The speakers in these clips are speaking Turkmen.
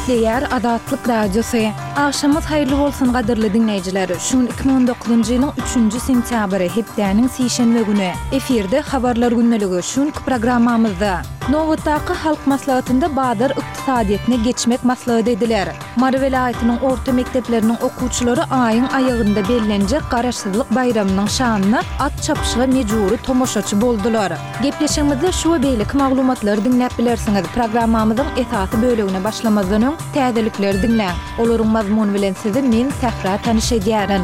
Gepleýär Azatlyk Radiosy. Agşamyňyz haýyrly bolsun gadyrly diňleýjiler! Şu gün 2019-njy ýylyň üçünji sentýabry, hepdäniň sişenbe güni. Efirde Habarlar gündeligi. Şu günki programmamyzda. Nobatdaky Halk Maslahatynda bazar ykdysadyýetine geçmek maslahat ediler. Mary welaýatynyň orta mekdepleriniň okuwçylary aýyň aýagynda bellenjek Garaşsyzlyk baýramynyň şanyna at çapyşyga mejbury tomaşaçy boldular. Gepleşigimizde şu we beýleki maglumatlary diňläp bilersiňiz. Programmamyzyň esasy bölegine başlamazdan öň, täzelikleri diňläň. Olaryň mazmuny bilen sizi men, Sähra tanyş edýärin.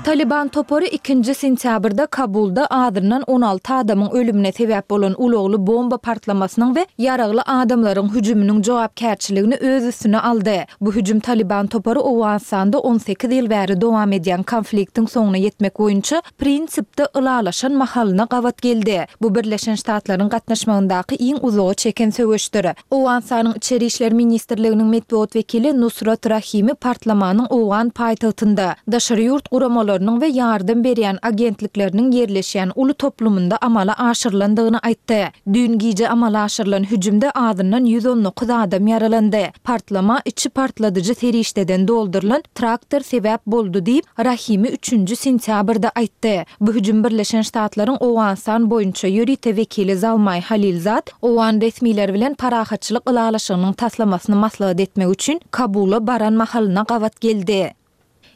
Talyban topary ikinji sentýabrda Kabulda azyndan 16 adamyň ölümine sebäp bolan ulagly bomba partlamasynyň we ýaragly adamlaryň hüjüminiň jogapkärçiligini öz üstüne aldy. Bu hüjüm Talyban topary Owganystanda 18 ýyl bäri dowam edýän konfliktiň soňuna ýetmek boýunça prinsipde ylalaşan mahalyna gabat geldi. Bu Birleşen Ştatlaryň gatnaşmagyndaky iň uzaga çeken söweşdir. Owganystanyň Içeri işler ministrliginiň metbugat wekili Nusrat Rahimi partlamanyň owgan paýtagtynda, daşary ýurt guramalarynyň we ýardam berýän agentlikleriniň ýerleşýän uly toplumynda amala aşyrylandygyny aýtdy. Düýn gije amala aşyrylan hüjümde azyndan 119 adam ýaralandy. Partlama içi partladyjy serişdeden doldurylan traktor sebäp boldy diýip, Rahimi üçünji sentýabrda aýtdy. Bu hüjüm Birleşen Ştatlaryň Owganystan boýunça ýörite wekili Zalmaý Halilzad owgan resmileri bilen parahatçylyk ylalaşygynyň taslamasyny maslahat etmek üçin Kabula baran mahalyna gabat geldi.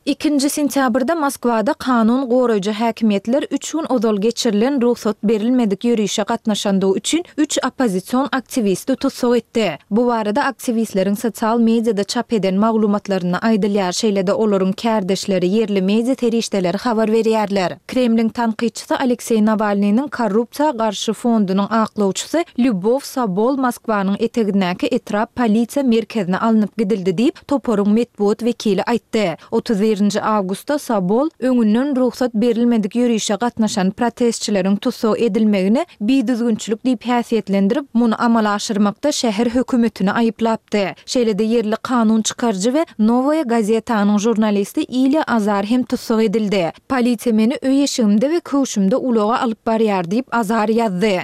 Ikinji sentýabrda Moskwada kanun goraýjy häkimiýetler üç gün ozal geçirilen rugsat berilmedik ýörişe gatnaşandygy üçin üç oppozision aktiwisti tussag etdi. Bu barada aktiwistleriň sosial mediada çap eden maglumatlarynda aýdylýar, şeýle-de olaryň kärdeşleri, ýerli media serişdeleri habar berýärler. Kremliň tankytçysy Alekseý Nawalnynyň korrupsiýa garşy fondunyň aklawçysy Lýubow Sobol Moskwanyň etegindäki etrap polisiýa merkezine alnyp gidildi diýip, toparyň metbugat wekili aýtdy. 31 nji awgustda Sobol öňünden rugsat berilmedik ýörişe gatnaşan protestçileriň tussag edilmegini bidüzgünçilik diýip häsiýetlendirip, muny amala aşyrmakda şäher hökümetini aýyplapdy. Şeýle-de ýerli kanun çykaryjy we Nowaýa gazetanyň žurnalisti Ilýa Azar hem tussag edildi. Polisiýa meni öý eşigimde we köwşümde ulaga alyp barýar diýip, Azar ýazdy.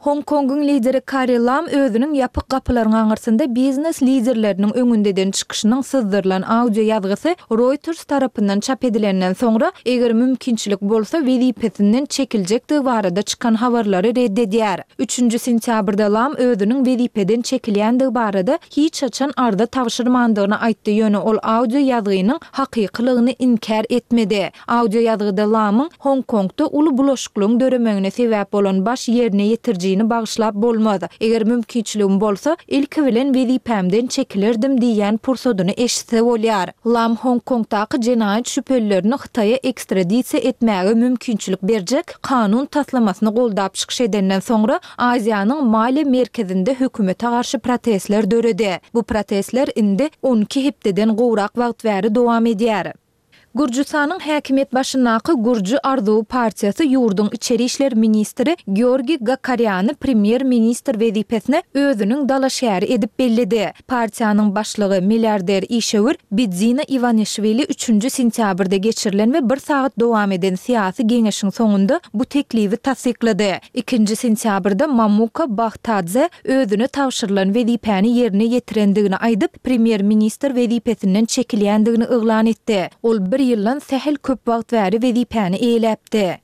Hong Kongyň lideri Karri Lam özüniň ýapyk gapylaryň aňyrsynda biznes liderleriniň öňünde eden çykyşynyň syzdyrylan audio ýazgysy Reuters tarapyndan çap edilenden soňra, eger mümkinçilik bolsa wezipesinden çekiljekdigi barada çykan habarlary red edýär. Üçünji sentýabrda Lam özüniň wezipeden çekilýändigi barada hiç haçan arza tabşyrmandygyny aýtdy, ýöne ol audio ýazgynyň hakykylygyny inkär etmedi. Audioýazgyda Lamyň Hong-Kongda uly bulaşyklygyň döremegine sebäp bolan baş ýerine ýetirijini bagyşlap bolmaz. Eger mümkinçiligim bolsa, ilki bilen wezipämden çekilerdim diýýän pursadyny eşitse bolýar. Lam Hong-Kongdaky jenaýat şübhelilerini Hytaýa ekstradisiýa etmäge mümkinçilik berjek kanun taslamasyny goldap çykyş edenden soňra, Aziýanyň maliýe merkezinde hökümete garşy protestler döredi. Bu protestler indi 12 hepdeden gowrak wagt bäri dowam edýär. Gürjüstanyň häkimiýet başyndaky Gürji arzuwy partiýasy ýurduň içeri işler ministri Georgiý Gakarýany premýer-ministr wezipesine özüniň dalaşgäri edip belledi. Partiýanyň başlygy, milliarder işewür Bidzina Iwanişwili üçünji sentýabrda geçirilen we bir sagat dowam eden syýasy geňeşiň soňunda bu teklibi tassyklady. Ikinji sentýabrda Mamuka Bahtadze özüne tabşyrylan wezipäni ýerine ýetirendigini aýdyp, premýer-ministr wezipesinden çekilýändigini yglan etdi. Ol bir ýyldan sähel köp wagt bäri wezipäni eýeläpdi.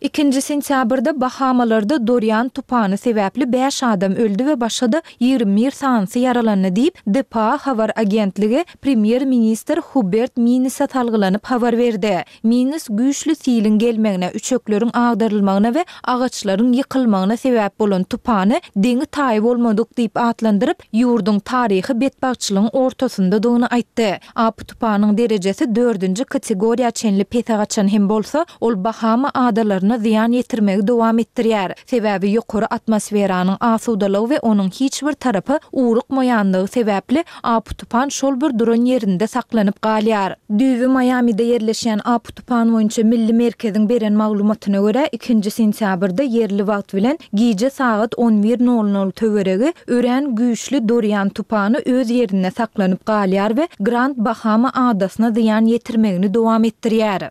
Ikinji sentýabrda Bahamalarda Dorian tupany sebäpli bäş adam öldi we başga-da 21 sanysy ýaralandy diýip, dpa habar agentligi premýer-ministr Hubert Minise salgylanyp habar berdi. Minnis güýçli siliň gelmegine, üçekleriň agdarylmagyna we agaçlaryň ýykylmagyna sebäp bolan tupany deňi-taýy bolmadyk diýip atlandyryp, ýurduň taryhy betbagtçylygyň ortasyndadygyny aýtdy. Apy tupanyň derejesi dördünji kategoriýa çenli pese gaçan hem bolsa, ol Bahama adalaryna zyýan ýetirmegi dowam etdirýär. Sebäbi ýokary atmosferanyň asudalygy we onuň hiç bir tarapa ugrukmaýanlygy sebäpli, Apy-tupan şol bir duran ýerinde saklanyp galýar. Düýbi Maýamide ýerleşýän apy-tupan boýunça milli merkeziň beren maglumatyna görä, ikinji sentýabrda ýerli wagt bilen gije sagat on bir nol nol töweregi örän güýçli Dorian tupany öz ýerinde saklanyp galýar we Grand Bahama adasyna zyýan ýetirmegini dowam etdirýär.